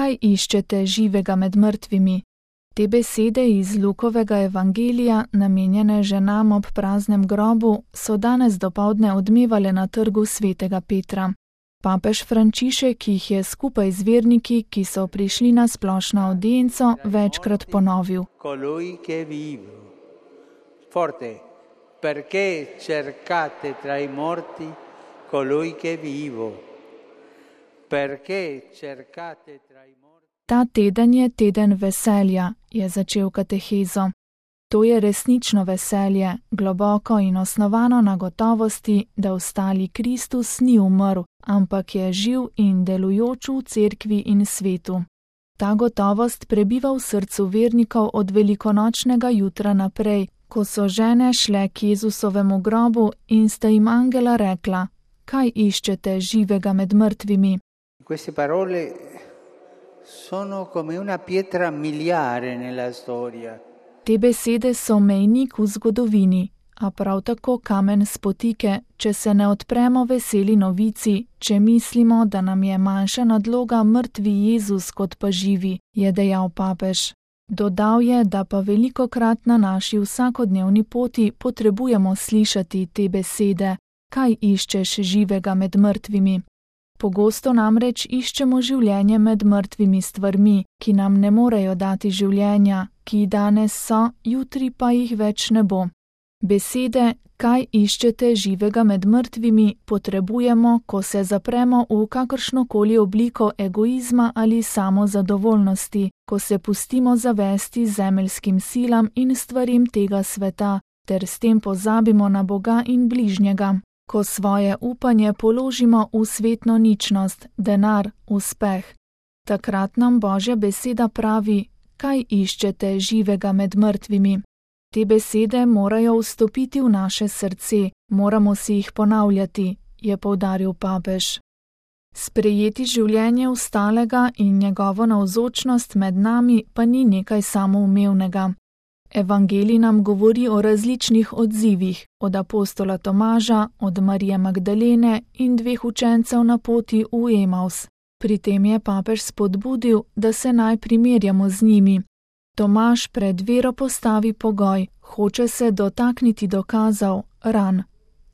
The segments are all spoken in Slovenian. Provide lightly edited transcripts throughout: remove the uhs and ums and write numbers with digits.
kaj iščete živega med mrtvimi? Te besede iz Lukovega evangelija, namenjene ženam ob praznem grobu, so danes dopoldne odmevale na trgu svetega Petra. Papež Frančišek jih je skupaj z verniki, ki so prišli na splošno avdienco, večkrat ponovil. Colui che vive. Forte. Perché cercate tra i morti colui che vivo? Perché cercate tra i morti? Ta teden je teden veselja, je začel katehezo. To je resnično veselje, globoko in osnovano na gotovosti, da ostali Kristus ni umrl, ampak je živ in delujoč v cerkvi in svetu. Ta gotovost prebiva v srcu vernikov od velikonočnega jutra naprej, ko so žene šle k Jezusovemu grobu in sta jim angela rekla, kaj iščete živega med mrtvimi. Queste parole sono come una pietra miliare nella storia. Te besede so mejnik v zgodovini, a prav tako kamen spotike, če se ne odpremo veseli novici, če mislimo, da nam je manjša nadloga mrtvi Jezus kot pa živi, je dejal papež. Dodal je, da pa velikokrat na naši vsakodnevni poti potrebujemo slišati te besede, kaj iščeš živega med mrtvimi. Pogosto namreč iščemo življenje med mrtvimi stvarmi, ki nam ne morejo dati življenja, ki danes so, jutri pa jih več ne bo. Besede, kaj iščete živega med mrtvimi, potrebujemo, ko se zapremo v kakršnokoli obliko egoizma ali samozadovoljnosti, ko se pustimo zavesti zemeljskim silam in stvarim tega sveta, ter s tem pozabimo na Boga in bližnjega. Ko svoje upanje položimo v svetno ničnost, denar, uspeh. Takrat nam Božja beseda pravi, kaj iščete živega med mrtvimi. Te besede morajo vstopiti v naše srce, moramo si jih ponavljati, je poudaril papež. Sprejeti življenje ostalega in njegovo navzočnost med nami pa ni nekaj samoumevnega. Evangelij nam govori o različnih odzivih, od apostola Tomaža, od Marije Magdalene in 2 učencev na poti v Emaus. Pri tem je papež spodbudil, da se naj primerjamo z njimi. Tomaž pred vero postavi pogoj, hoče se dotakniti dokazov, ran.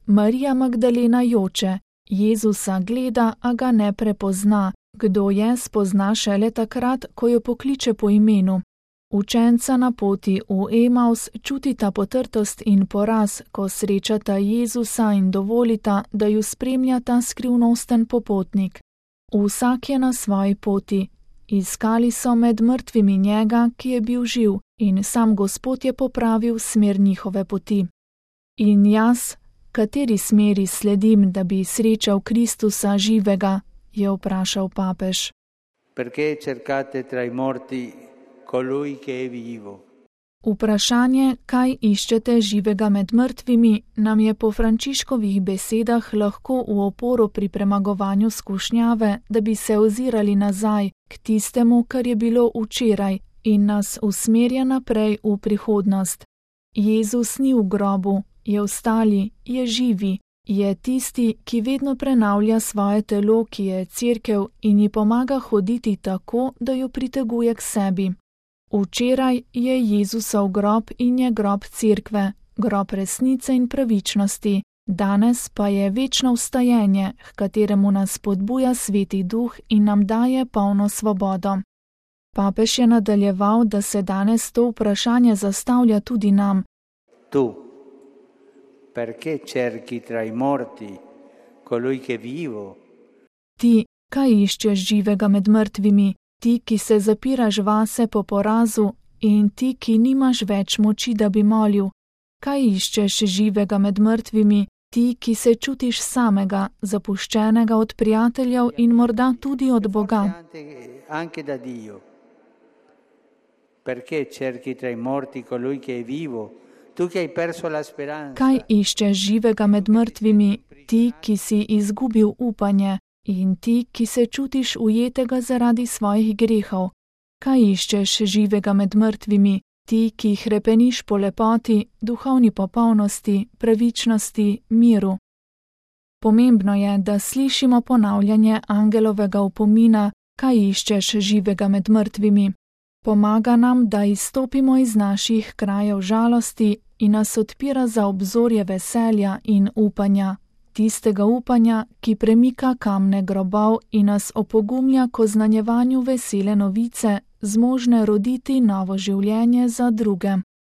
Marija Magdalena joče, Jezusa gleda, a ga ne prepozna, kdo je, spozna šele takrat, ko jo pokliče po imenu. Učenca na poti v Emaus čutita potrtost in poraz, ko srečata Jezusa in dovolita, da ju spremlja ta skrivnosten popotnik. Vsak je na svoji poti. Iskali so med mrtvimi njega, ki je bil živ, in sam Gospod je popravil smer njihove poti. In jaz, kateri smeri sledim, da bi srečal Kristusa živega, je vprašal papež. Perché cercate tra i morti colui che è vivo? Vprašanje, kaj iščete živega med mrtvimi, nam je po Frančiškovih besedah lahko v oporo pri premagovanju skušnjave, da bi se ozirali nazaj k tistemu, kar je bilo včeraj, in nas usmerja naprej v prihodnost. Jezus ni v grobu, je vstali, je živi, je tisti, ki vedno prenavlja svoje telo, ki je cerkev, in ji pomaga hoditi tako, da jo priteguje k sebi. Včeraj je Jezusov grob in je grob cerkve, grob resnice in pravičnosti, danes pa je večno vstajenje, h kateremu nas spodbuja Sveti Duh in nam daje polno svobodo. Papež je nadaljeval, da se danes to vprašanje zastavlja tudi nam. Tu, perché cerchi tra i morti colui che vivo? Ti, kaj iščeš živega med mrtvimi? Ti, ki se zapiraš vase po porazu, in ti, ki nimaš več moči, da bi molil. Kaj iščeš živega med mrtvimi? Ti, ki se čutiš samega, zapuščenega od prijateljev in morda tudi od Boga. Anche da Dio. Perché cerchi tra i morti colui che è vivo? Tu che hai perso la speranza. Kaj iščeš živega med mrtvimi? Ti, ki si izgubil upanje. In ti, ki se čutiš ujetega zaradi svojih grehov. Kaj iščeš živega med mrtvimi? Ti, ki hrepeniš po lepoti, duhovni popolnosti, pravičnosti, miru. Pomembno je, da slišimo ponavljanje angelovega opomina, kaj iščeš živega med mrtvimi? Pomaga nam, da izstopimo iz naših krajev žalosti in nas odpira za obzorje veselja in upanja, tistega upanja, ki premika kamne grobov in nas opogumlja k oznanjevanju vesele novice, zmožne roditi novo življenje za druge.